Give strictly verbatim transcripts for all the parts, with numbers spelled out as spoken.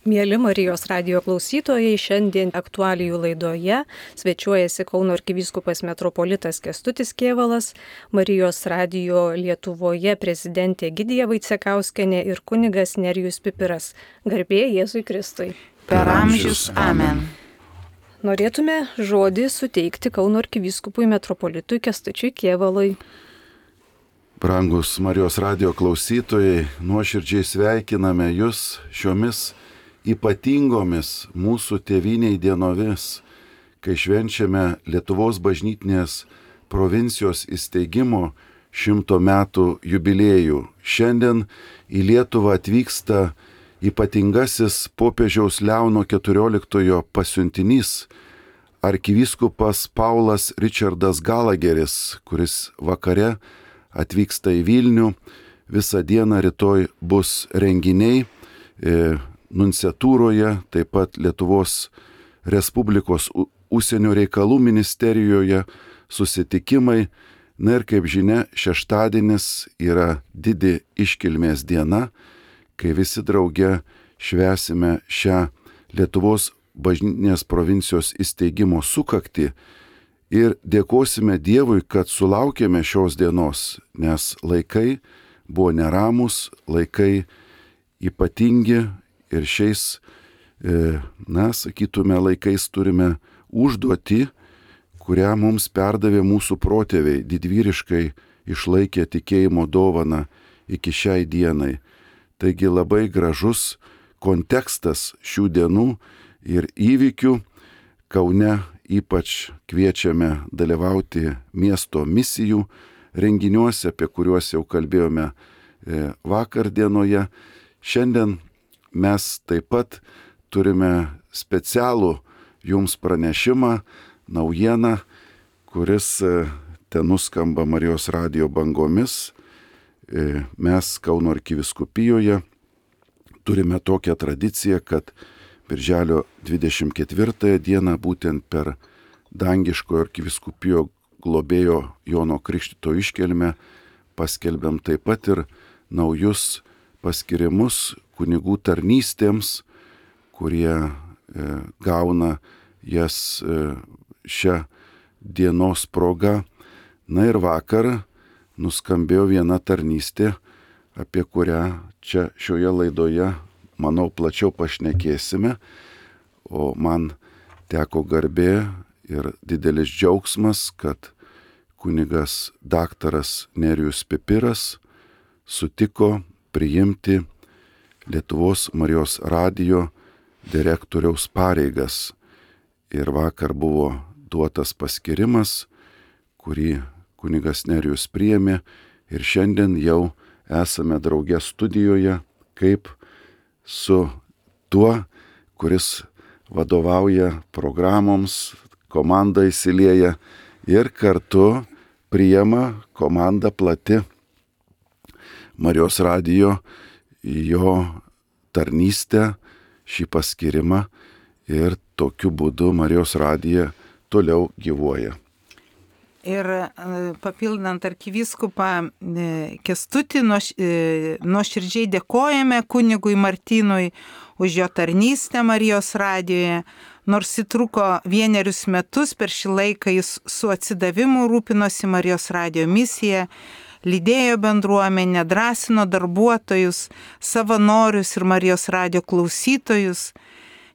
Mieli Marijos radijo klausytojai, šiandien aktualijų laidoje svečiuojasi Kauno arkivyskupas metropolitas Kęstutis Kėvalas, Marijos radijo Lietuvoje prezidentė Egidija Vaicekauskienė ir kunigas Nerijus Pipiras. Garbė Jėzui Kristui. Per amžius. Amen. Norėtume žodį suteikti Kauno arkivyskupui metropolitui Kęstučiui Kėvalui. Brangus Marijos radijo klausytojai, nuoširdžiai sveikiname jūs šiomis ypatingomis mūsų tėvynei dienomis, kai švenčiame Lietuvos bažnytinės provincijos įsteigimo šimto metų jubiliejų. Šiandien į Lietuvą atvyksta ypatingasis popiežiaus Leono keturioliktojo pasiuntinys, arkivyskupas Paulas Richardas Galageris, kuris vakare atvyksta į Vilnių. Visą dieną rytoj bus renginiai e, nunciatūroje, taip pat Lietuvos Respublikos užsienio reikalų ministerijoje susitikimai. Na ir kaip žinia, šeštadienis yra didi iškilmės diena, kai visi drauge švęsime šią Lietuvos bažnytinės provincijos įsteigimo sukaktį ir dėkosime Dievui, kad sulaukėme šios dienos, nes laikai buvo neramus, laikai ypatingi. Ir šiais, na, sakytume, laikais turime užduotį, kurią mums perdavė mūsų protėviai, didvyriškai išlaikė tikėjimo dovaną iki šiai dienai. Taigi labai gražus kontekstas šių dienų ir įvykių. Kaune ypač kviečiame dalyvauti miesto misijų renginiuose, apie kuriuos jau kalbėjome vakar dienoje. Šiandien mes taip pat turime specialų jums pranešimą, naujieną, kuris ten nuskamba Marijos radijo bangomis. Mes Kauno arkivyskupijoje turime tokią tradiciją, kad birželio dvidešimt ketvirtąją dieną būtent per dangiškojo arkivyskupijo globėjo Jono Krikštytojo iškilmę paskelbiam taip pat ir naujus paskirimus kunigų tarnystėms, kurie e, gauna jas e, šią dienos progą. Na ir vakar nuskambėjo viena tarnystė, apie kurią čia šioje laidoje, manau, plačiau pašnekėsime, o man teko garbė ir didelis džiaugsmas, kad kunigas daktaras Nerijus Pipiras sutiko priimti Lietuvos Marijos radijo direktoriaus pareigas. Ir vakar buvo duotas paskirimas, kurį kunigas Nerijus priėmė, ir šiandien jau esame drauge studijoje, kaip su tuo, kuris vadovauja programoms, komanda įsilieja ir kartu priima komanda plati Marijos radijo jo tarnystę, šį paskirimą, ir tokiu būdu Marijos radija toliau gyvuoja. Ir papildant arkivyskupą Kęstutį, nuoširdžiai dėkojame kunigui Martynui už jo tarnystę Marijos radijoje. Nors įtruko vienerius metus, per šį laiką jis su atsidavimu rūpinosi Marijos radijo misija, lydėjo bendruomenę, drąsino darbuotojus, savanorius ir Marijos radijo klausytojus.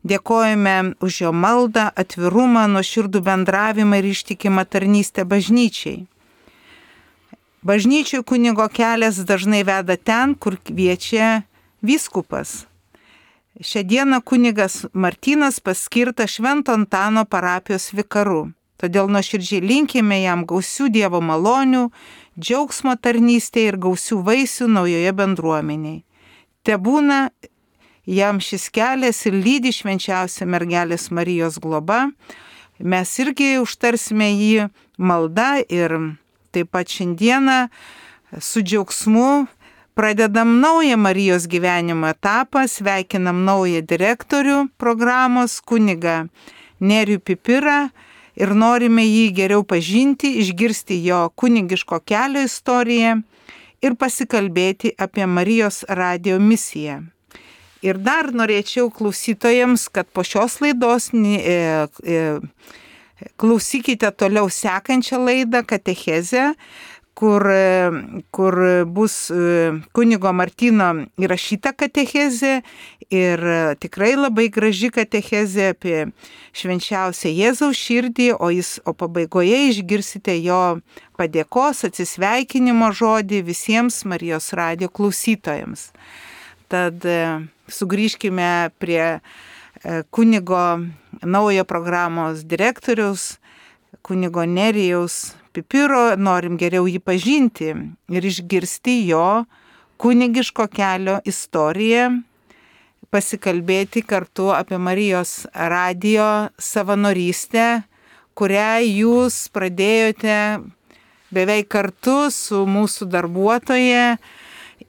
Dėkojame už jo maldą, atvirumą, nuoširdų bendravimą ir ištikimą tarnystę bažnyčiai. Bažnyčiai kunigo kelias dažnai veda ten, kur kviečia vyskupas. Šią dieną kunigas Martynas paskirtas Švento Antano parapijos vikaru. Todėl nuoširdžiai linkime jam gausių Dievo malonių, džiaugsmo tarnystėje ir gausių vaisių naujoje bendruomeniai. Tebūna jam šis kelias ir lydi švenčiausia mergelės Marijos globa. Mes irgi užtarsime jį maldą ir taip pat šiandieną su džiaugsmu pradedam naują Marijos gyvenimo etapą, sveikinam naują direktorių programos kunigą Nerijų Pipirą ir norime jį geriau pažinti, išgirsti jo kunigiško kelio istoriją ir pasikalbėti apie Marijos radijo misiją. Ir dar norėčiau klausytojams, kad po šios laidos e, e, klausykite toliau sekančią laidą Katechezę, kur, kur bus kunigo Martyno įrašyta katechezė ir tikrai labai graži katechezė apie švenčiausią Jėzaus širdį, o, jis, o pabaigoje išgirsite jo padėkos, atsisveikinimo žodį visiems Marijos radijo klausytojams. Tad sugrįžkime prie kunigo naujo programos direktoriaus, kunigo Nerijaus Pipiro, norim geriau jį pažinti ir išgirsti jo kunigiško kelio istoriją, pasikalbėti kartu apie Marijos radijo savanorystę, kurią jūs pradėjote beveik kartu su mūsų darbuotoja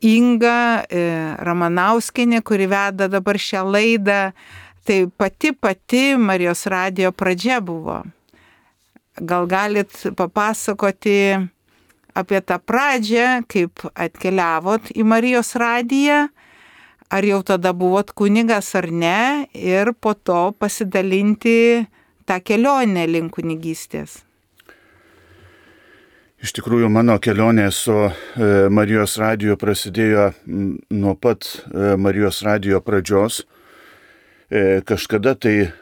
Inga Ramanauskienė, kuri veda dabar šią laidą. Tai pati pati Marijos radijo pradžia buvo. Gal galit papasakoti apie tą pradžią, kaip atkeliavot į Marijos radiją, ar jau tada buvot kunigas ar ne, ir po to pasidalinti tą kelionę link kunigystės. Iš tikrųjų, mano kelionė su Marijos radiju prasidėjo nuo pat Marijos radijo pradžios. Kažkada tai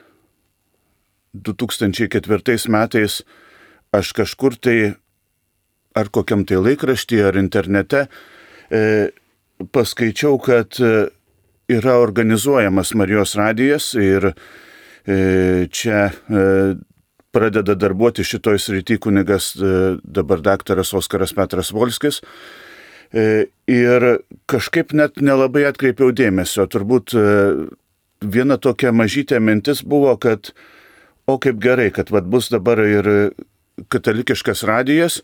du tūkstančiai ketvirtais metais aš kažkur tai, ar kokiam tai laikraštyje, ar internete, e, paskaičiau, kad yra organizuojamas Marijos radijas ir e, čia e, pradeda darbuoti šitoj srity kunigas e, dabar daktaras Oskaras Petras Volskis. E, ir kažkaip net nelabai atkreipiau dėmesio. Turbūt e, viena tokia mažytė mintis buvo, kad o kaip gerai, kad vat, bus dabar ir katalikiškas radijas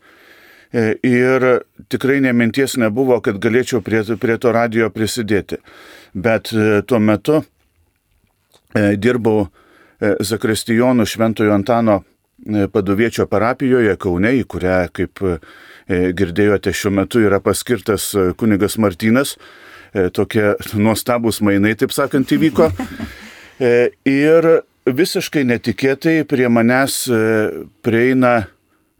ir tikrai neminties nebuvo, kad galėčiau prie, prie to radijo prisidėti. Bet tuo metu dirbau Zakristijonų Šventojo Antano Paduviečio parapijoje Kaune, į kurią, kaip girdėjote, šiuo metu yra paskirtas kunigas Martynas. Tokie nuostabūs mainai, taip sakant, įvyko. Ir visiškai netikėtai prie manęs prieina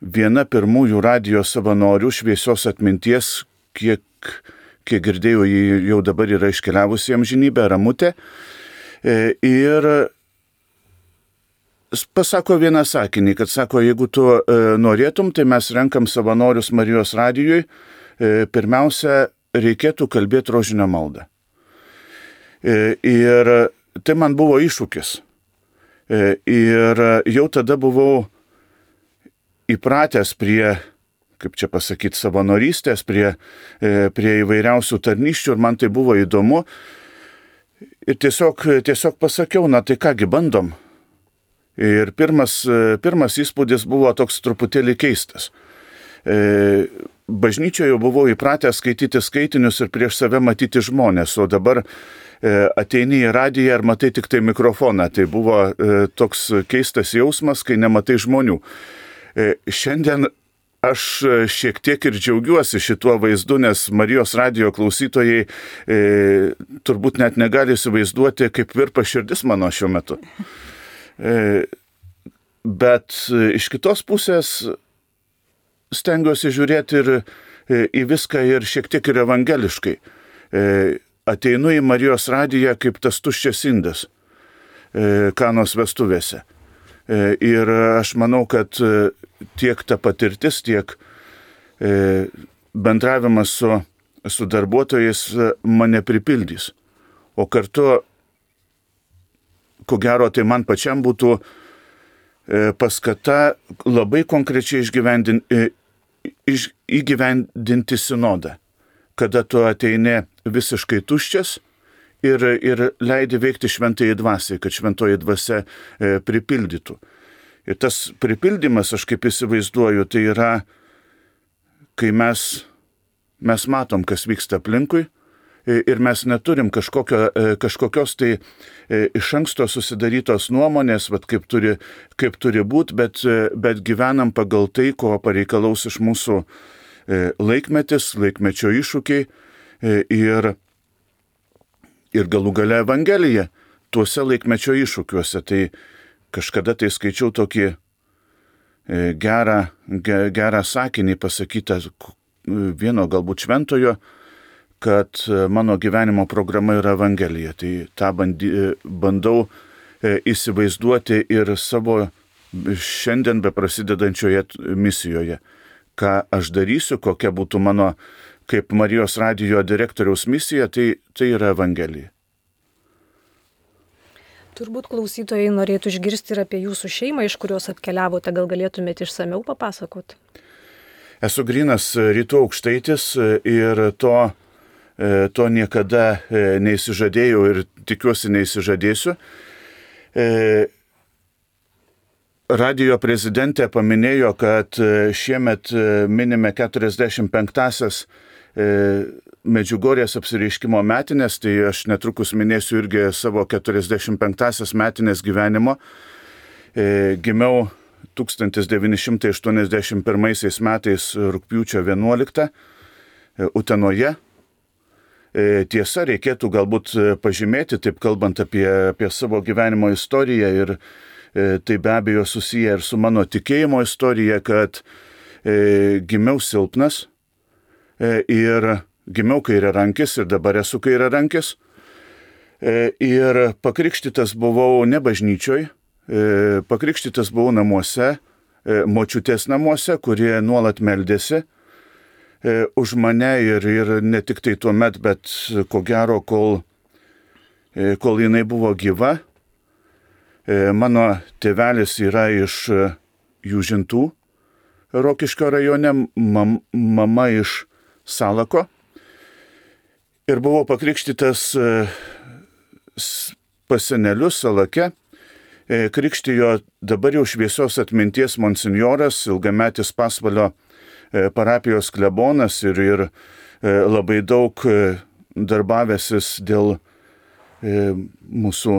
viena pirmųjų radijo savanorių šviesios atminties, kiek, kiek girdėjau, ji jau dabar yra iškeliavusi į amžinybę, Ramutė. Ir pasako vieną sakinį, kad sako, jeigu tu norėtum, tai mes renkam savanorius Marijos radijui, pirmiausia, reikėtų kalbėti rožinio maldą. Ir tai man buvo iššūkis. Ir jau tada buvau įpratęs prie, kaip čia pasakyti, savanorystės, prie, prie įvairiausių tarnysčių ir man tai buvo įdomu. Ir tiesiog, tiesiog pasakiau, na tai kągi bandom. Ir pirmas, pirmas įspūdis buvo toks truputėlį keistas. Bažnyčioje buvau įpratęs skaityti skaitinius ir prieš save matyti žmonės, o dabar ateini į radiją ir matai tik tai mikrofoną. Tai buvo toks keistas jausmas, kai nematai žmonių. Šiandien aš šiek tiek ir džiaugiuosi šituo vaizdu, nes Marijos radijo klausytojai e, turbūt net negali įsivaizduoti, kaip virpa širdis mano šiuo metu. E, bet iš kitos pusės stengiuosi žiūrėti ir e, į viską ir šiek tiek ir evangeliškai. E, ateinu į Marijos radiją kaip tas tuščias indas e, Kanos vestuvėse. E, ir aš manau, kad e, tiek ta patirtis, tiek e, bendravimas su, su darbuotojais mane pripildys. O kartu, ko gero, tai man pačiam būtų e, paskata labai konkrečiai išgyvendinti, e, iš, įgyvendinti sinodą, kada tu ateini visiškai tuščias ir, ir leidi veikti šventajai dvasiai, kad šventoji dvasia e, pripildytų. Ir tas pripildymas, aš kaip įsivaizduoju, tai yra, kai mes, mes matom, kas vyksta aplinkui ir mes neturim kažkokio, kažkokios tai iš anksto susidarytos nuomonės, vat, kaip turi, kaip turi būti, bet, bet gyvenam pagal tai, ko pareikalaus iš mūsų laikmetis, laikmečio iššūkiai. Ir ir galų gale Evangelija tuose laikmečio iššūkiuose. Tai kažkada tai skaičiau tokį gerą, gerą sakinį pasakytą vieno galbūt šventojo, kad mano gyvenimo programa yra Evangelija. Tai tą bandy, bandau įsivaizduoti ir savo šiandien beprasidedančioje misijoje. Ką aš darysiu, kokia būtų mano kaip Marijos radijo direktoriaus misija, tai, tai yra Evangelija. Turbūt klausytojai norėtų išgirsti ir apie jūsų šeimą, iš kurios atkeliavote, gal galėtumėte išsameu papasakoti? Esu grynas rytų aukštaitis ir to, to niekada neįsižadėjau ir tikiuosi neįsižadėsiu. Radijo prezidentė paminėjo, kad šiemet minime keturiasdešimt penktąsias Medžiugorjės apsireiškimo metinės, tai aš netrukus minėsiu irgi savo keturiasdešimt penktąsias metinės gyvenimo. E, gimiau tūkstantis devyni šimtai aštuoniasdešimt pirmaisiais metais rugpjūčio vienuoliktą e, Utenoje. E, tiesa, reikėtų galbūt pažymėti, taip kalbant apie, apie savo gyvenimo istoriją ir e, tai be abejo susiję ir su mano tikėjimo istorija, kad e, gimiau silpnas e, ir Gimiau kairiarankis ir dabar esu kairiarankis. Ir pakrikštytas buvau ne bažnyčioj, pakrikštytas buvau namuose, močiutės namuose, kurie nuolat meldėsi už mane ir, ir ne tik tai tuo met, bet ko gero, kol, kol jinai buvo gyva. Mano tėvelis yra iš Jūžintų, Rokiškio rajone, mam, mama iš Salako. Ir buvau pakrikštytas pas senelius Salake. Krikštijo dabar jau šviesios atminties monsinjoras, ilgametis Pasvalio parapijos klebonas ir, ir labai daug darbavęsis dėl mūsų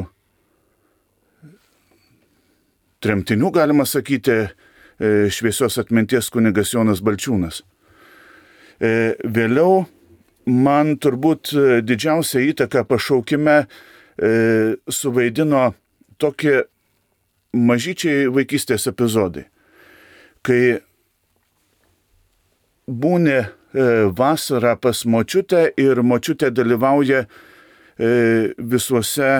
tremtinių, galima sakyti, šviesios atminties kunigas Jonas Balčiūnas. Vėliau man turbūt didžiausią įtaką pašaukime e, suvaidino tokie mažyčiai vaikystės epizodai, kai būni e, vasarą pas močiutę ir močiutė dalyvauja e, visuose,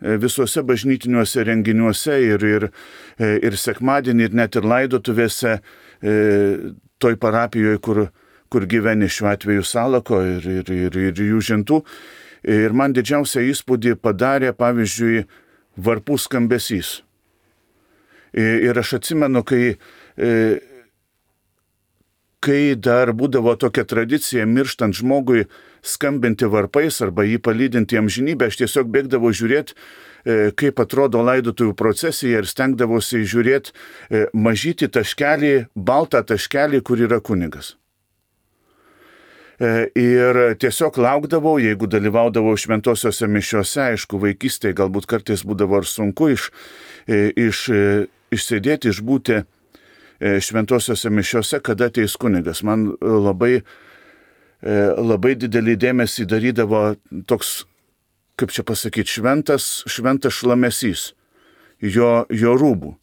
e, visuose bažnytiniuose renginiuose ir, ir, e, ir sekmadienį, ir net ir laidotuvėse e, toj parapijoje, kur kur gyveni šiuo atveju Salako ir, ir, ir, ir Jūžintų. Ir man didžiausią įspūdį padarė, pavyzdžiui, varpų skambesys. Ir aš atsimenu, kai, kai dar būdavo tokia tradicija mirštant žmogui skambinti varpais arba jį palydinti amžinybę, aš tiesiog bėgdavau žiūrėti, kaip atrodo laidotuvių procesija ir stengdavosi žiūrėti mažytį taškelį, baltą taškelį, kur yra kunigas. Ir tiesiog laukdavau, jeigu dalyvaudavau šventosiuose mišiuose, aišku, vaikystėje galbūt kartais būdavo ir sunku iš, iš, išsėdėti, išbūti šventosiuose mišiuose, kada ateis kunigas. Man labai, labai didelį dėmesį darydavo toks, kaip čia pasakyti, šventas, šventas šlamesys jo, jo rūbų,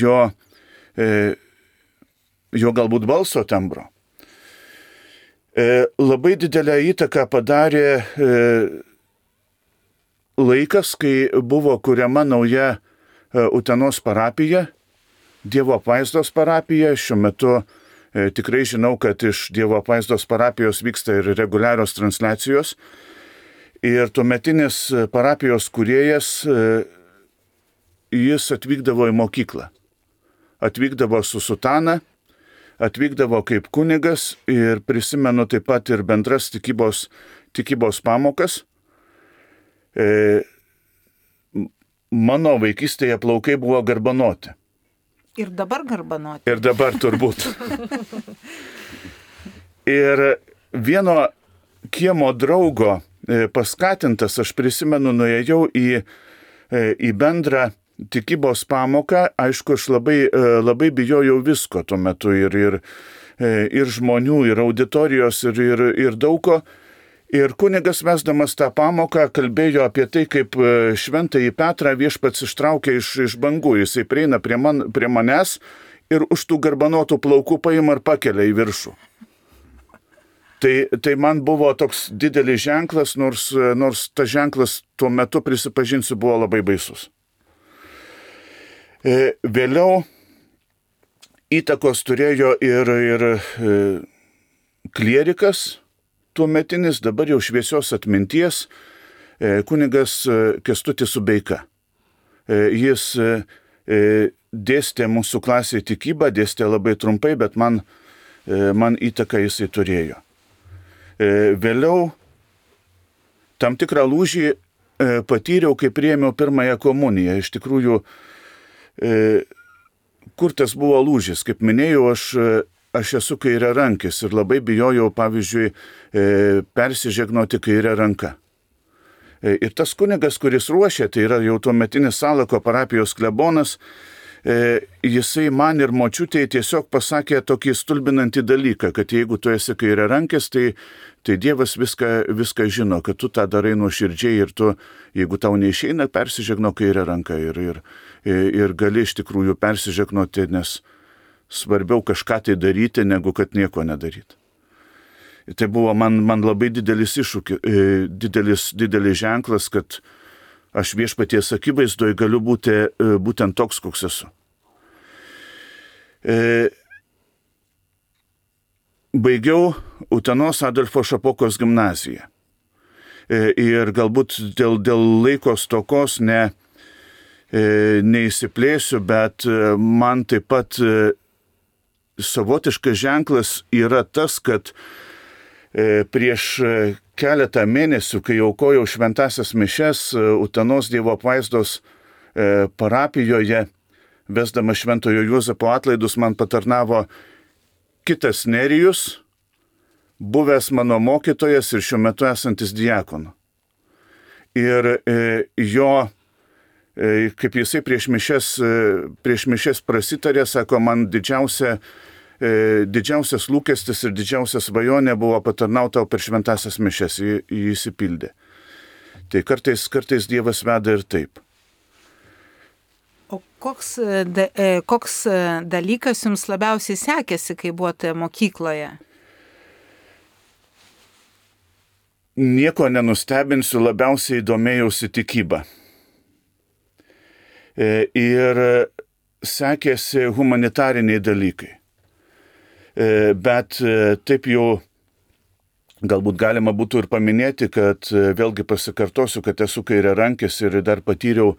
jo, jo galbūt balso tembro. Labai didelę įtaką padarė laikas, kai buvo kuriama nauja Utenos parapija, Dievo apvaizdos parapija. Šiuo metu tikrai žinau, kad iš Dievo apvaizdos parapijos vyksta ir reguliarios transliacijos. Ir tuometinis parapijos kūrėjas, jis atvykdavo į mokyklą. Atvykdavo su sutana, atvykdavo kaip kunigas ir prisimenu taip pat ir bendras tikybos, tikybos pamokas. E, mano vaikystėje plaukai buvo garbanoti. Ir dabar garbanoti. Ir dabar turbūt. Ir vieno kiemo draugo paskatintas, aš prisimenu, nuėjau į, į bendrą tikybos pamoką. Aišku, aš labai, labai bijojau visko tuo metu ir, ir, ir žmonių, ir auditorijos, ir, ir, ir daug ko. Ir kunigas vesdamas tą pamoką kalbėjo apie tai, kaip šventąjį Petrą viešpats ištraukė iš, iš bangų. Jisai prieina prie, man, prie manęs ir už tų garbanotų plaukų paima ir pakelia į viršų. Tai, tai man buvo toks didelis ženklas, nors, nors tas ženklas tuo metu, prisipažinsiu, buvo labai baisus. Vėliau įtakos turėjo ir, ir klierikas, tuometinis, dabar jau šviesios atminties, kunigas Kęstutis Subeika. Jis dėstė mūsų klasėje tikybą, dėstė labai trumpai, bet man, man įtaką jisai turėjo. Vėliau tam tikrą lūžį patyriau, kai priėmiau pirmąją komuniją. Iš tikrųjų, kur tas buvo lūžis? Kaip minėjau, aš, aš esu kairiarankis ir labai bijojau, pavyzdžiui, persižegnoti kairę ranką. Ir tas kunigas, kuris ruošė, tai yra jau tuometinis Salako parapijos klebonas, jisai man ir močiutei tiesiog pasakė tokį stulbinantį dalyką, kad jeigu tu esi kairiarankis, tai, tai Dievas viską, viską žino, kad tu tą darai nuoširdžiai ir tu, jeigu tau neišeina, persižegno kairę ranką ir, ir, ir gali iš tikrųjų persižegnoti, nes svarbiau kažką tai daryti, negu kad nieko nedaryti. Tai buvo man, man labai didelis iššūkis, didelis, didelis ženklas, kad aš viešpaties akivaizdoje galiu būti būtent toks, koks esu. Baigiau Utenos Adolfo Šapokos gimnaziją. Ir galbūt dėl, dėl laiko stokos ne, neįsiplėsiu, bet man taip pat savotiškas ženklas yra tas, kad prieš keletą mėnesių, kai aukojau šventasias mišes Utenos Dievo apvaizdos parapijoje, vesdama Šventojo Juozapo atlaidus, man patarnavo kitas Nerijus, buvęs mano mokytojas ir šiuo metu esantis diakonu. Ir jo, kaip jisai prieš mišes, prieš mišes prasitarė, sako, man didžiausia didžiausias lūkestis ir didžiausias svajonė buvo patarnauti per šventasias mišes, jį, jį įsipildė. Tai kartais, kartais Dievas veda ir taip. O koks, da, koks dalykas jums labiausiai sekėsi, kai buvote mokykloje? Nieko nenustebinsiu, labiausiai domėjausi tikybą. Ir sekėsi humanitariniai dalykai. Bet taip jau galbūt galima būtų ir paminėti, kad vėlgi pasikartosiu, kad esu kairiarankis ir dar patyriau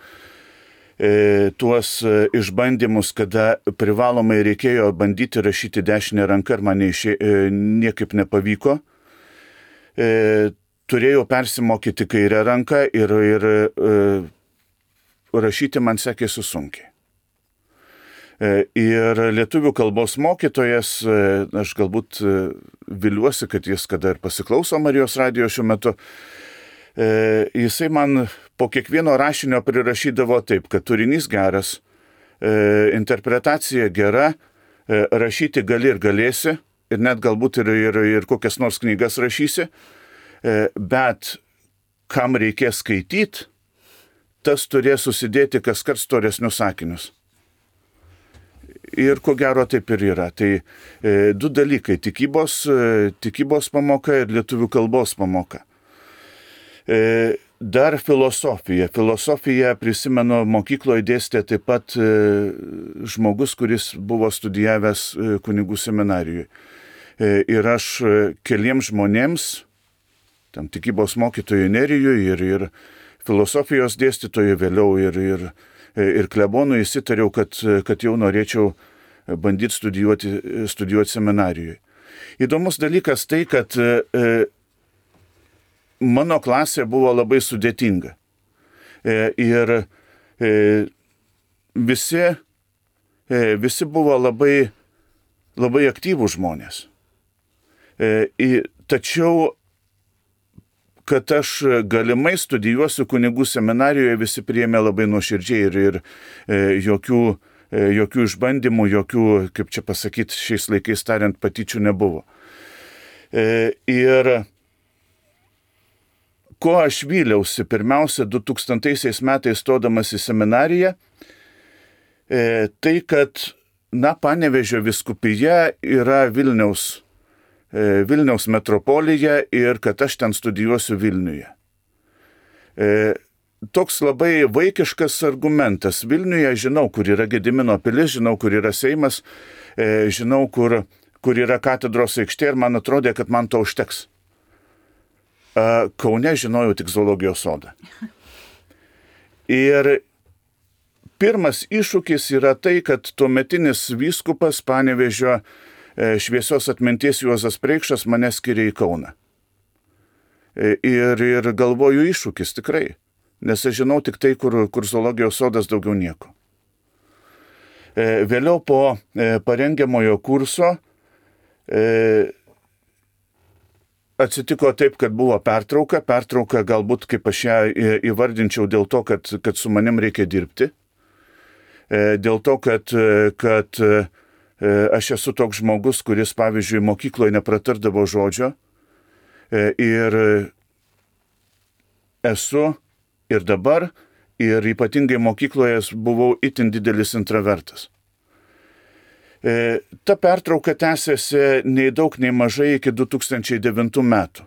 e, tuos išbandymus, kada privalomai reikėjo bandyti rašyti dešinę ranką ir man neišė, e, niekaip nepavyko. E, turėjau persimokyti kairę ranką ir, ir e, rašyti man sekėsi sunkiai. Ir lietuvių kalbos mokytojas, aš galbūt viliuosi, kad jis kada ir pasiklauso Marijos radijo šiuo metu, jisai man po kiekvieno rašinio prirašydavo taip, kad turinys geras, interpretacija gera, rašyti gali ir galėsi, ir net galbūt ir, ir, ir kokias nors knygas rašysi, bet kam reikės skaityti, tas turės susidėti kaskart storesnius sakinius. Ir ko gero taip ir yra. Tai e, du dalykai – tikybos, e, tikybos pamoka ir lietuvių kalbos pamoka. E, dar filosofija. Filosofija, prisimenu, mokykloje dėstė taip pat e, žmogus, kuris buvo studijavęs e, kunigų seminarijoje. E, ir aš e, keliems žmonėms, tam tikybos mokytojui Nerijui ir, ir filosofijos dėstytojui vėliau ir, ir ir klebonui įsitariau, kad, kad jau norėčiau bandyti studijuoti, studijuoti seminarijoje. Įdomus dalykas tai, kad e, mano klasė buvo labai sudėtinga. E, ir e, visi, e, visi buvo labai, labai aktyvūs žmonės. E, tačiau kad aš galimai studijuosiu kunigų seminarijoje, visi priėmė labai nuoširdžiai ir, ir e, jokių, e, jokių išbandymų, jokių, kaip čia pasakyti, šiais laikais tariant, patyčių nebuvo. E, ir ko aš vyliausi pirmiausia du tūkstantaisiais metais stodamas į seminariją, e, tai kad, na, Panevėžio vyskupija yra Vilniaus, e, Vilniaus metropolija ir kad aš ten studijuosiu Vilniuje. E, toks labai vaikiškas argumentas. Vilniuje žinau, kur yra Gedimino pilis, žinau, kur yra Seimas, e, žinau, kur, kur yra katedros aikštė ir man atrodė, kad man to užteks. E, Kaune žinojau tik zoologijos sodą. Ir pirmas iššūkis yra tai, kad tuometinis vyskupas Panevėžio e, šviesios atminties Juozas Preikšas mane skiria į Kauną. E, ir, ir galvoju iššūkis tikrai. Nes aš žinau tik tai, kur, kur zoologijos sodas, daugiau nieko. E, vėliau po e, parengiamojo kurso e, atsitiko taip, kad buvo pertrauka. Pertrauka galbūt, kaip aš ją įvardinčiau, dėl to, kad, kad su manim reikia dirbti. E, dėl to, kad, kad e, aš esu toks žmogus, kuris, pavyzdžiui, mokykloje nepratardavo žodžio. E, ir esu ir dabar, ir ypatingai mokykloje buvau itin didelis intravertas. E, ta pertrauka tęsėsi nei daug, nei mažai iki du tūkstančiai devintų metų.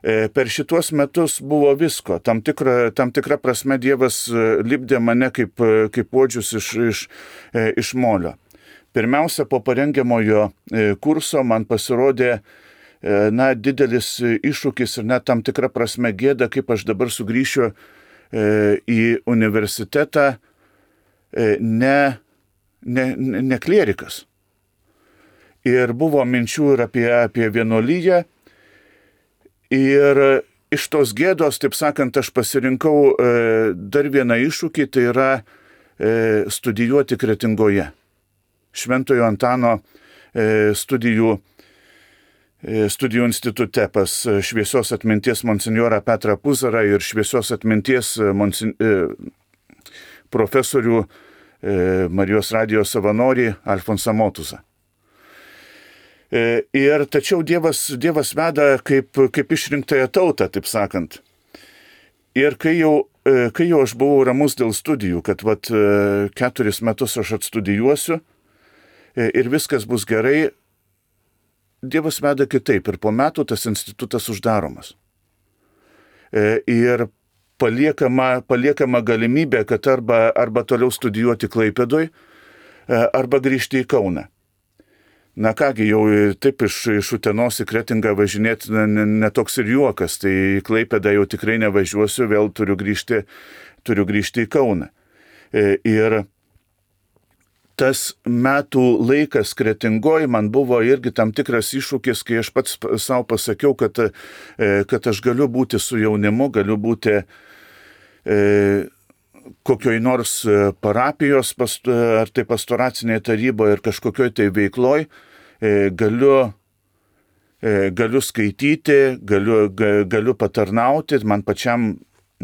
E, per šituos metus buvo visko. Tam tikra, tam tikra prasme Dievas lipdė mane kaip, kaip puodžius iš, iš, iš molio. Pirmiausia, po parengiamojo kurso man pasirodė na, didelis iššūkis ir net tam tikra prasme gėda, kaip aš dabar sugrįšiu e, į universitetą e, ne, ne, ne klierikas. Ir buvo minčių ir apie, apie vienuolyją. Ir iš tos gėdos, taip sakant, aš pasirinkau e, dar vieną iššūkį, tai yra e, studijuoti Kretingoje. Šventojo Antano e, studijų studijų institute pas šviesios atminties monsinjorą Petrą Puzarą ir šviesios atminties monsin... profesorių Marijos radijos savanorį Alfonsą Motuzą. Ir tačiau Dievas, Dievas veda kaip, kaip išrinktąją tautą, taip sakant. Ir kai jau, kai jau aš buvau ramus dėl studijų, kad vat, keturis metus aš atstudijuosiu ir viskas bus gerai, Dievas veda kitaip ir po metų tas institutas uždaromas. E, ir paliekama, paliekama galimybė, kad arba, arba toliau studijuoti Klaipėdoj, e, arba grįžti į Kauną. Na kągi, jau taip iš, iš Utenos į Kretingą važinėti netoks ne, ne ir juokas, tai į Klaipėdą jau tikrai nevažiuosiu, vėl turiu grįžti, turiu grįžti į Kauną. E, ir tas metų laikas Kretingoj man buvo irgi tam tikras iššūkis, kai aš pats savo pasakiau, kad, kad aš galiu būti su jaunimu, galiu būti e, kokioj nors parapijos ar tai pastoracinėje taryboje ir kažkokioj tai veikloj, e, galiu, e, galiu skaityti, galiu, ga, galiu patarnauti, man pačiam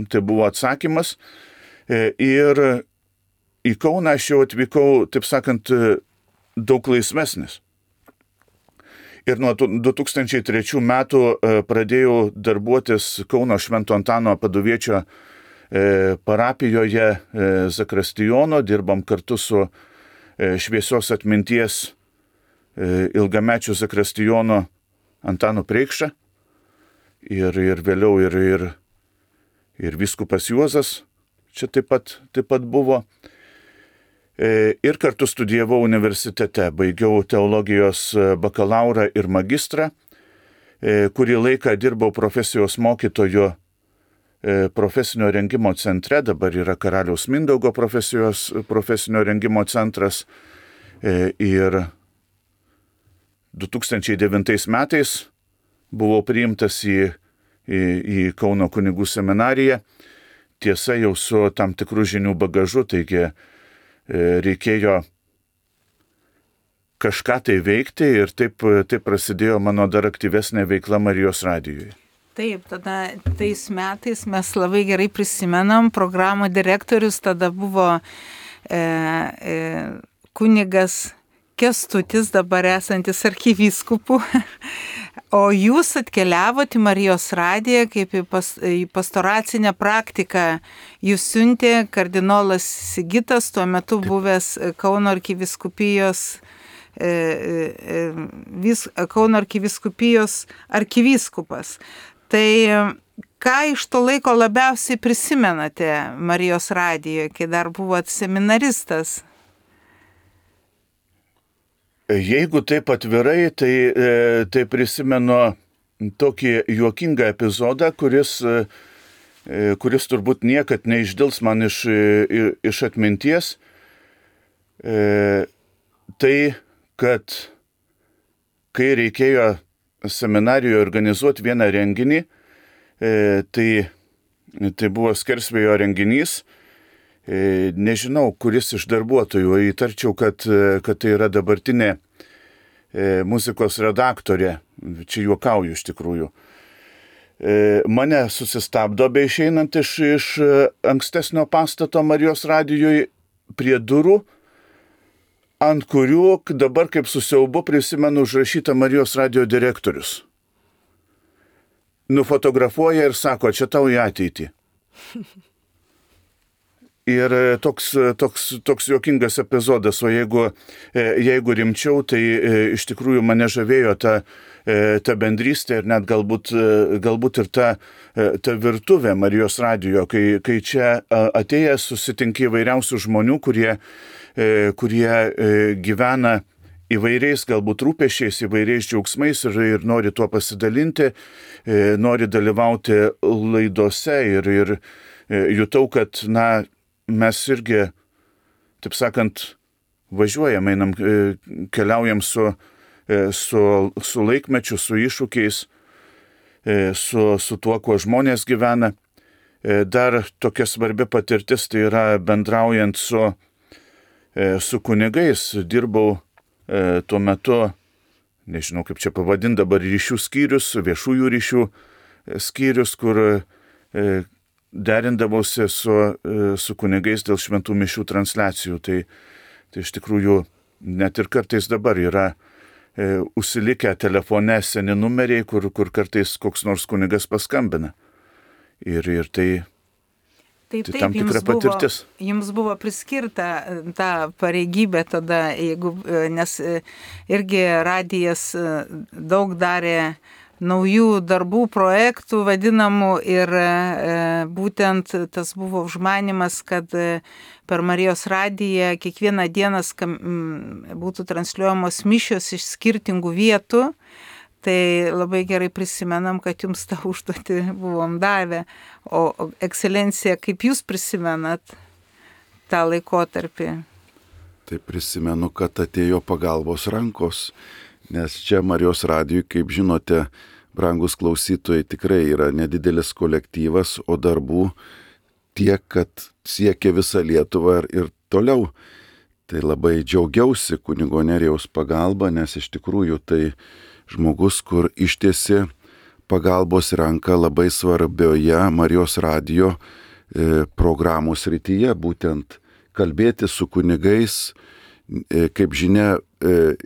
tai buvo atsakymas. E, ir į Kauną aš jau atvykau, taip sakant, daug laisvesnis. Ir nuo du tūkstančiai trečių metų pradėjau darbuotis Kauno Švento Antano Paduviečio parapijoje Zakristijono, dirbam kartu su šviesios atminties ilgamečiu Zakristijono Antanu Preikša ir, ir vėliau ir, ir, ir vyskupas Juozas čia taip pat, taip pat buvo. Ir kartu studijavau universitete, baigiau teologijos bakalaurą ir magistrą, kurį laiką dirbau profesijos mokytoju profesinio rengimo centre, dabar yra Karaliaus Mindaugo profesijos, profesinio rengimo centras. Ir du tūkstančiai devintais metais buvau priimtas į, į, į Kauno kunigų seminariją, tiesa jau su tam tikrų žinių bagažu, taigi reikėjo kažką tai veikti ir taip, taip prasidėjo mano dar aktyvesnė veikla Marijos radijoje. Taip, tada tais metais mes labai gerai prisimenam, programų direktorius tada buvo e, e, kunigas Kęstutis, dabar esantis arkivyskupu, O jūs atkeliavote į Marijos radiją kaip į, pas, į pastoracinę praktiką. Jūs siuntė kardinolas Sigitas, tuo metu buvęs Kauno arkivyskupijos, e, e, vis, Kauno arkivyskupijos arkivyskupas. Tai ką iš to laiko labiausiai prisimenate Marijos radijoje, kai dar buvot seminaristas? Jeigu taip atvirai, tai, tai prisimenu tokį juokingą epizodą, kuris, kuris turbūt niekad neišdils man iš, iš atminties. Tai, kad kai reikėjo seminarijoje organizuoti vieną renginį, tai, tai buvo Skersvėjo renginys. Nežinau, kuris iš darbuotojų, įtarčiau, kad, kad tai yra dabartinė muzikos redaktorė, čia juokauju iš tikrųjų. Mane susistabdo be išeinant iš, iš ankstesnio pastato Marijos radijoje prie durų, ant kurių dabar kaip su siaubu prisimenu užrašytą Marijos radijo direktorius. Nufotografuoja ir sako, čia tau į ateitį. Ir toks, toks, toks juokingas epizodas, o jeigu, jeigu rimčiau, tai iš tikrųjų mane žavėjo ta, ta bendrystė ir net galbūt, galbūt ir ta, ta virtuvė Marijos radijo, kai, kai čia atėjęs susitinki įvairiausių žmonių, kurie, kurie gyvena įvairiais galbūt rūpesčiais, įvairiais džiaugsmais ir, ir nori tuo pasidalinti, nori dalyvauti laidose ir, ir jutau, kad, na, mes irgi, taip sakant, važiuojam, einam, keliaujam su, su, su laikmečiu, su iššūkiais, su, su tuo, kuo žmonės gyvena. Dar tokia svarbi patirtis, tai yra bendraujant su, su kunigais. Dirbau tuo metu, nežinau kaip čia pavadinti dabar, ryšių skyrius, viešųjų ryšių skyrius, kur derindavausi su, su kunigais dėl šventų mišių transliacijų. Tai, tai iš tikrųjų net ir kartais dabar yra e, užsilikę telefone seni numeriai, kur, kur kartais koks nors kunigas paskambina. Ir, ir tai, taip, tai taip, tam tikra buvo, patirtis. Jums buvo priskirta ta pareigybė tada, jeigu, nes irgi radijas daug darė naujų darbų, projektų vadinamų ir e, būtent tas buvo užmanimas, kad e, per Marijos radiją kiekvieną dieną skam, m, būtų transliuojamos mišios iš skirtingų vietų. Tai labai gerai prisimenam, kad jums tą užduotį buvom davę. O, o ekscelencija, kaip jūs prisimenat tą laikotarpį? Tai prisimenu, kad atėjo pagalbos rankos. Nes čia Marijos radijui, kaip žinote, brangus klausytojai, tikrai yra nedidelis kolektyvas, o darbų tiek, kad siekia visą Lietuvą ir, ir toliau. Tai labai džiaugiausi kunigo Nerijaus pagalba, nes iš tikrųjų tai žmogus, kur ištiesi pagalbos ranką labai svarbioje Marijos radijo e, programų srityje, būtent kalbėti su kunigais, e, kaip žinia, e,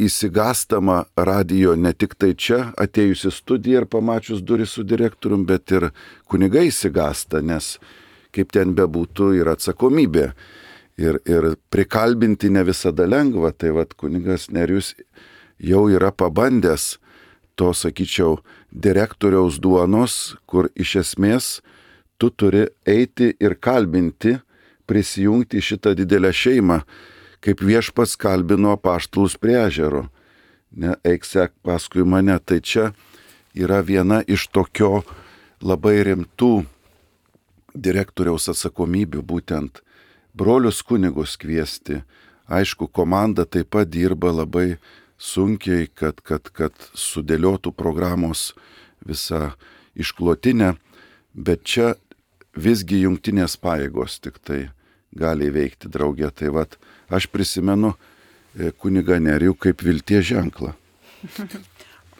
įsigastama radijo ne tik tai čia atėjusi studiją ir pamačius duris su direktorium, bet ir kunigai įsigasta, nes kaip ten bebūtų yra atsakomybė. Ir, ir prikalbinti ne visada lengva, tai vat kunigas Nerijus jau yra pabandęs to, sakyčiau, direktoriaus duonos, kur iš esmės tu turi eiti ir kalbinti, prisijungti šitą didelę šeimą, kaip viešpats kalbino apaštalus prie ežero. Ne, eik sek paskui mane. Tai čia yra viena iš tokio labai rimtų direktoriaus atsakomybių, būtent brolius kunigus kviesti. Aišku, komanda taip pat dirba labai sunkiai, kad, kad, kad sudėliotų programos visą išklotinę, bet čia visgi jungtinės pajėgos tik tai gali veikti draugė. Tai vat, aš prisimenu kunigą Nerijų kaip vilties ženklą.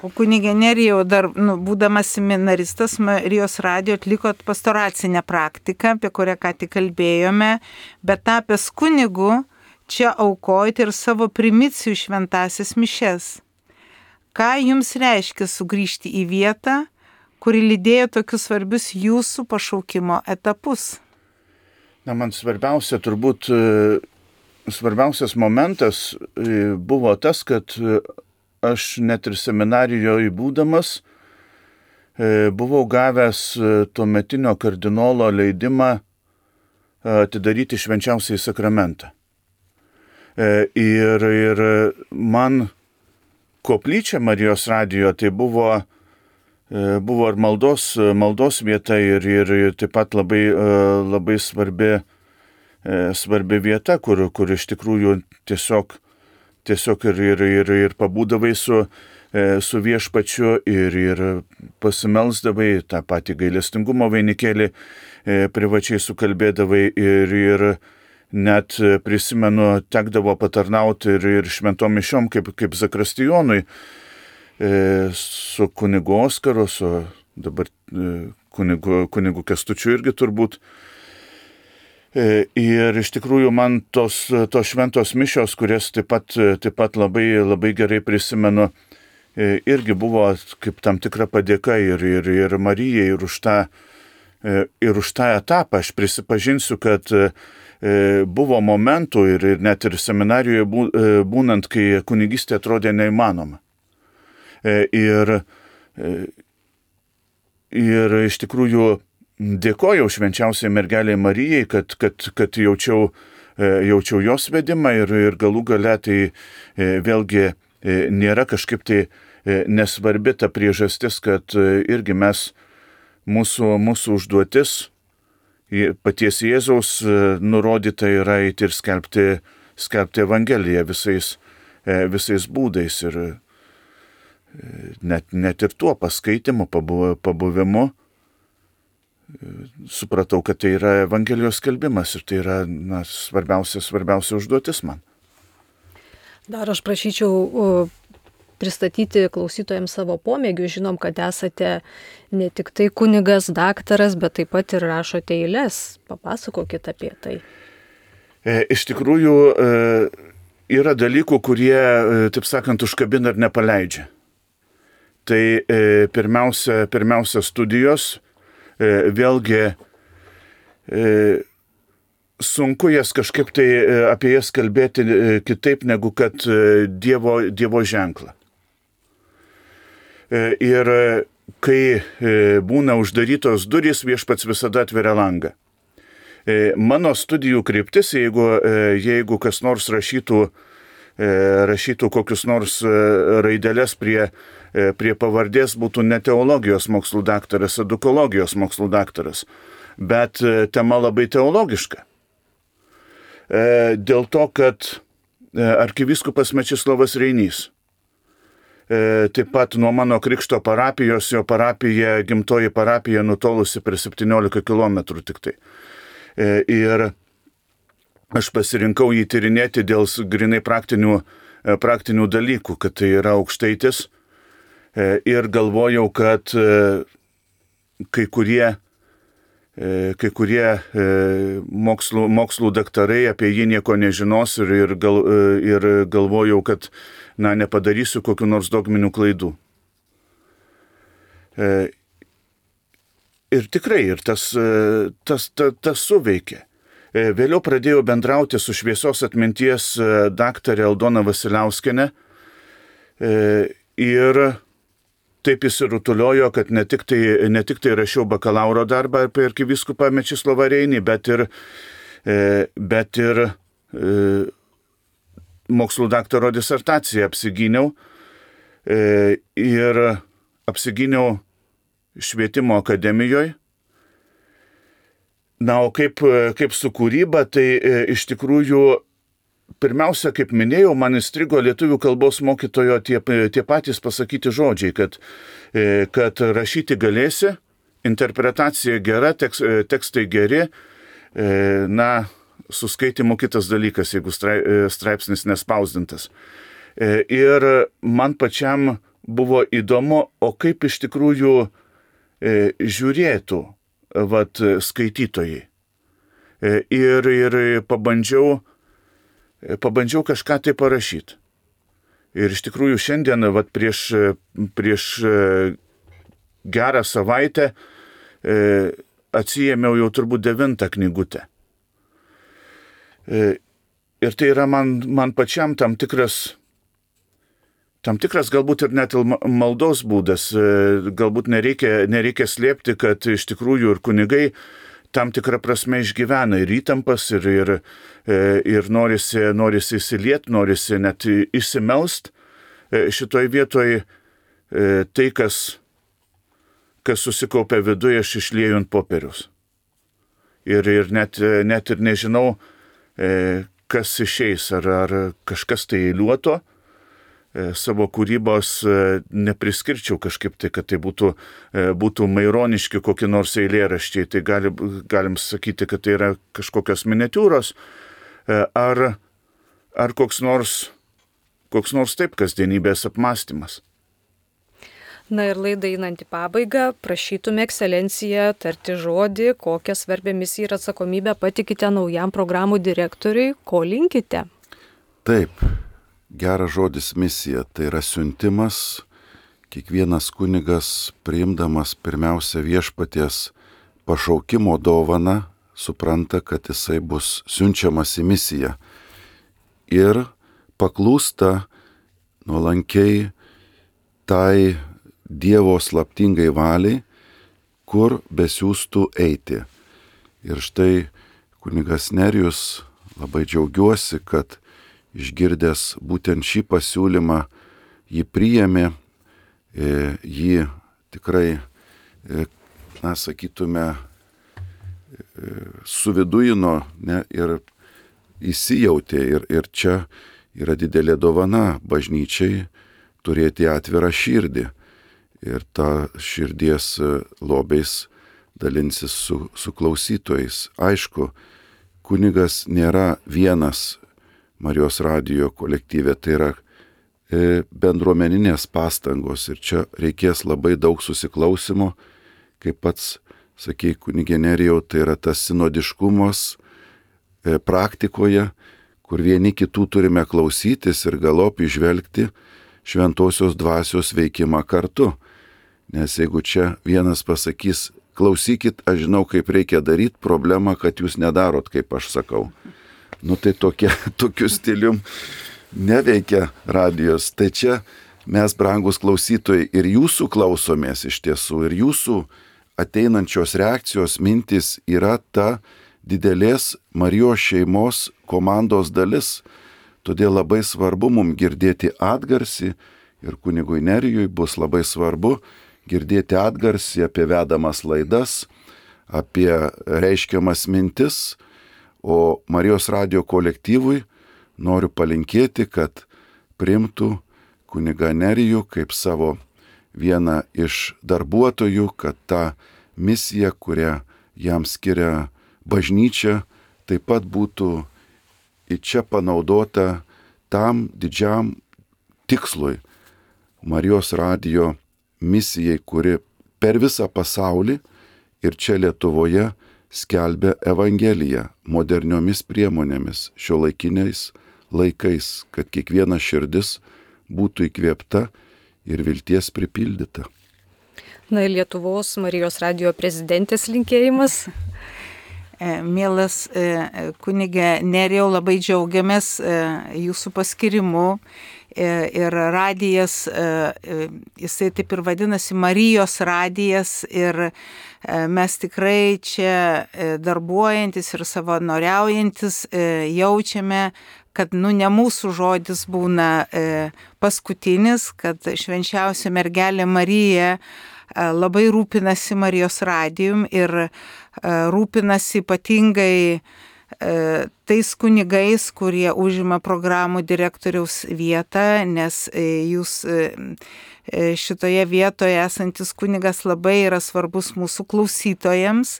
O kunigė Nerijau, dar nu, būdamas seminaristas, Marijos radijo atlikot pastoracinę praktiką, apie kurią ką tik kalbėjome, bet tapęs kunigu, čia aukojate ir savo primicijų šventąsias mišes. ką jums reiškia sugrįžti į vietą, kuri lydėjo tokius svarbius jūsų pašaukimo etapus? Na, man svarbiausia, turbūt svarbiausias momentas buvo tas, kad aš net ir seminarijoje būdamas buvau gavęs tuometinio kardinolo leidimą atidaryti švenčiausiąjį sakramentą. Ir, ir man koplyčia Marijos radijo tai buvo, buvo ir maldos, maldos vieta ir, ir taip pat labai, labai svarbi, svarbi vieta, kur, kur iš tikrųjų tiesiog, tiesiog ir, ir, ir, ir pabūdavai su, su viešpačiu ir, ir pasimelsdavai tą patį gailestingumo vainikėlį, privačiai sukalbėdavai ir, ir net prisimenu, tekdavo patarnauti ir, ir šventom mišiom kaip, kaip zakristijonui su kunigu Oskaru, su dabar kunigu, kunigu Kęstučiu irgi turbūt. Ir iš tikrųjų man tos, tos šventos mišios, kurias taip pat, taip pat labai, labai gerai prisimenu, irgi buvo kaip tam tikra padėka ir, ir, ir Marijai, ir už tą, ir už tą etapą. Aš prisipažinsiu, kad buvo momentų ir, ir net ir seminarijoje būnant, kai kunigystė atrodė neįmanoma. Ir, ir iš tikrųjų dėkojau švenčiausiai mergeliai Marijai, kad, kad, kad jaučiau, jaučiau jos vedimą ir, ir galų gale tai vėlgi nėra kažkaip tai nesvarbi ta priežastis, kad irgi mes, mūsų, mūsų užduotis paties Jėzaus nurodyta yra eiti ir skelbti, skelbti Evangeliją visais, visais būdais ir net, net ir tuo paskaitimu, pabuvimu supratau, kad tai yra Evangelijos skelbimas ir tai yra na, svarbiausia, svarbiausia užduotis man. Dar aš prašyčiau pristatyti klausytojams savo pomėgių. Žinom, kad esate ne tik tai kunigas, daktaras, bet taip pat ir rašote eiles. Papasakokit apie tai. Iš tikrųjų, yra dalykų, kurie, taip sakant, užkabina ir nepaleidžia. Tai pirmiausia, pirmiausia studijos, vėlgi sunku jas kažkaip tai apie jas kalbėti kitaip negu kad Dievo, dievo ženklą. Ir kai būna uždarytos durys, viešpats visada atveria langą. Mano studijų kryptis, jeigu, jeigu kas nors rašytų, rašytų kokius nors raidelės prie, prie pavardės, būtų ne teologijos mokslų daktaras, edukologijos mokslų daktaras, bet tema labai teologiška. Dėl to, kad arkivyskupas Mečislovas Reinys, taip pat nuo mano krikšto parapijos, jo parapija, gimtoji parapija nutolusi per septyniolika kilometrų tik tai. Ir aš pasirinkau jį tyrinėti dėl grinai praktinių, praktinių dalykų, kad tai yra aukštaitis. Ir galvojau, kad kai kurie kai kurie mokslų, mokslų daktarai apie jį nieko nežinos ir, ir, gal, ir galvojau, kad na, nepadarysiu kokių nors dogminių klaidų. Ir tikrai, ir tas, tas, tas, tas suveikė. Vėliau pradėjau bendrauti su šviesos atminties daktarė Aldona Vasiliauskienė ir taip įsirutuliojo, kad ne tik, tai, ne tik tai rašiau bakalauro darbą apie arkivyskupą Mečislovą Reinį, bet ir, bet ir mokslų daktaro disertaciją apsigyniau ir apsigyniau švietimo akademijoje. Na, o kaip, kaip su kūryba, tai iš tikrųjų pirmiausia, kaip minėjau, man įstrigo lietuvių kalbos mokytojo tie, tie patys pasakyti žodžiai, kad, kad rašyti galėsi, interpretacija gera, tekst, tekstai geri, na, su skaitimu kitas dalykas, jeigu straipsnis nespausdintas. Ir man pačiam buvo įdomu, o kaip iš tikrųjų žiūrėtų vat, skaitytojai. Ir, ir pabandžiau Pabandžiau kažką tai parašyti. Ir iš tikrųjų šiandien, vat, prieš, prieš gerą savaitę e, atsijėmiau jau turbūt devintą knygutę. E, ir tai yra man, man pačiam tam tikras, tam tikras galbūt ir net maldos būdas. E, galbūt nereikia, nereikia slėpti, kad iš tikrųjų ir kunigai tam tikrą prasme išgyvena ir įtampas, ir, ir, ir norisi, norisi įsilieti, norisi net išsimelst. Šitoj vietoj tai, kas, kas susikaupia viduje, aš išlieju ant popieriaus. Ir, ir net, net ir nežinau, kas išeis, ar, ar kažkas tai eiliuoto. Savo kūrybos nepriskirčiau kažkaip tai, kad tai būtų, būtų maironiški kokie nors eilėraščiai. Tai gali, galim sakyti, kad tai yra kažkokios miniatiūros, ar, ar koks nors, koks nors taip kasdienybės apmąstymas. Na ir laidai einant į pabaigą, prašytume ekscelenciją tarti žodį, kokią svarbią misiją ir atsakomybę patikite naujam programų direktoriui, ko linkite. Taip. Geras žodis misija, tai yra siuntimas, kiekvienas kunigas priimdamas pirmiausia viešpaties pašaukimo dovaną, supranta, kad jisai bus siunčiamas į misiją ir paklūsta nuolankiai tai Dievo slaptingai valiai, kur besiųstų eiti. Ir štai kunigas Nerijus, labai džiaugiuosi, kad išgirdęs būtent šį pasiūlymą, jį priėmė, jį tikrai, na, sakytume, suvidujino, ne, ir įsijautė. Ir, ir čia yra didelė dovana bažnyčiai turėti atvirą širdį. Ir tą širdies lobiais dalinsis su, su klausytojais. Aišku, kunigas nėra vienas Marijos radijo kolektyve, tai yra e, bendruomeninės pastangos ir čia reikės labai daug susiklausimo, kaip pats sakei, kunigė Nerijau, tai yra tas sinodiškumas e, praktikoje, kur vieni kitų turime klausytis ir galop įžvelgti šventosios dvasios veikimą kartu. Nes jeigu čia vienas pasakys, klausykit, aš žinau, kaip reikia daryti, problema, kad jūs nedarot, kaip aš sakau. Nu tai tokia, tokiu stilium neveikia radijos. Tai čia mes, brangus klausytojai, ir jūsų klausomės iš tiesų, ir jūsų ateinančios reakcijos mintis yra ta didelės Marijos šeimos komandos dalis. Todėl labai svarbu mums girdėti atgarsį ir kunigui Nerijui bus labai svarbu girdėti atgarsį apie vedamas laidas, apie reiškiamas mintis. O Marijos radijo kolektyvui noriu palinkėti, kad priimtų kunigą Nerijų kaip savo vieną iš darbuotojų, kad ta misija, kurią jam skiria bažnyčia, taip pat būtų į čia panaudota tam didžiam tikslui. Marijos radijo misijai, kuri per visą pasaulį ir čia Lietuvoje skelbia Evangeliją moderniomis priemonėmis, šiuolaikiniais laikais, kad kiekviena širdis būtų įkvėpta ir vilties pripildyta. Na ir Lietuvos Marijos radijo prezidentės linkėjimas. Mielas kunigė Nerijau, labai džiaugiamės jūsų paskirimu. Ir radijas, jisai taip ir vadinasi Marijos radijas, ir mes tikrai čia darbuojantis ir savanoriaujantis jaučiame, kad nu ne mūsų žodis būna paskutinis, kad švenčiausia mergelė Marija labai rūpinasi Marijos radijum ir rūpinasi ypatingai tais kunigais, kurie užima programų direktoriaus vietą, nes jūs šitoje vietoje esantis kunigas labai yra svarbus mūsų klausytojams.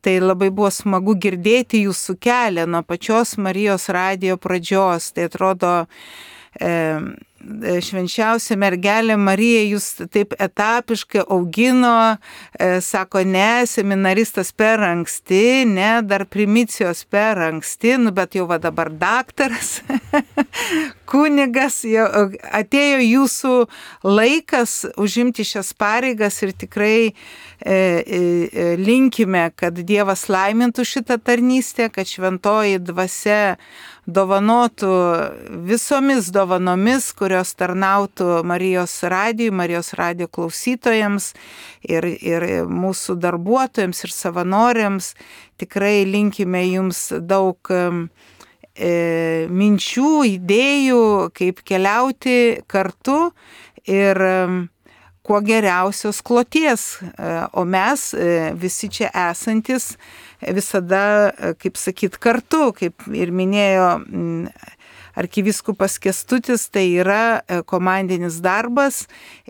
Tai labai buvo smagu girdėti jūsų kelią nuo pačios Marijos radijo pradžios. Tai atrodo, švenčiausia mergelė Marija jūs taip etapiškai augino, sako, ne, seminaristas per anksti, ne, dar primicijos per anksti, nu, bet jau va dabar daktaras, kunigas, jau atėjo jūsų laikas užimti šias pareigas ir tikrai e, e, linkime, kad Dievas laimintų šitą tarnystę, kad šventoji dvasia dovanotų visomis dovanomis, kurios tarnautų Marijos radijui, Marijos radijo klausytojams ir, ir mūsų darbuotojams ir savanoriams. Tikrai linkime jums daug e, minčių, idėjų, kaip keliauti kartu ir e, kuo geriausios kloties. O mes visi čia esantis visada, kaip sakyt, kartu, kaip ir minėjo arkivyskupas Kęstutis, tai yra komandinis darbas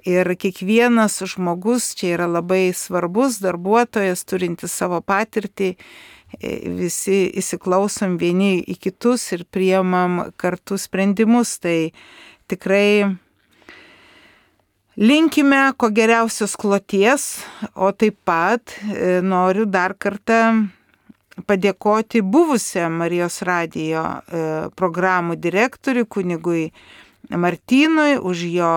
ir kiekvienas žmogus čia yra labai svarbus darbuotojas, turintis savo patirtį. Visi įsiklausom vieni į kitus ir priimam kartu sprendimus. Tai tikrai linkime ko geriausios kloties, o taip pat noriu dar kartą padėkoti buvusiam Marijos radijo programų direktoriui, kunigui Martynui, už jo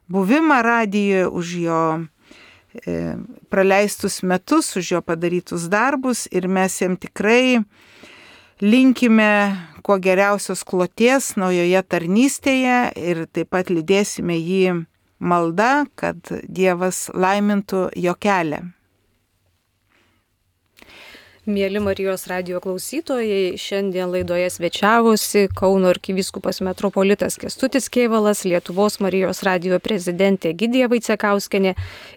buvimą radijoje, už jo praleistus metus, už jo padarytus darbus ir mes jam tikrai linkime kuo geriausios kloties naujoje tarnystėje ir taip pat lydėsime jį malda, kad Dievas laimintų jo kelią. Mėly Marijos radijo klausytojai, šiandien laidoje svečiavosi Kauno arkivyskupas metropolitas Kęstutis Kėvalas, Lietuvos Marijos radijo prezidentė Egidija Vaicekauskienė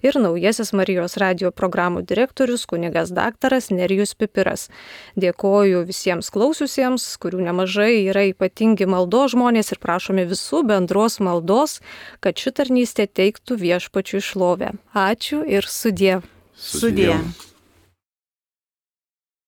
ir naujasis Marijos radijo programų direktorius kunigas daktaras Nerijus Pipiras. Dėkoju visiems klausiusiems, kurių nemažai yra ypatingi maldos žmonės ir prašome visų bendros maldos, kad ši tarnystė teiktų viešpačiui šlovę. Ačiū ir sudie. Sudie.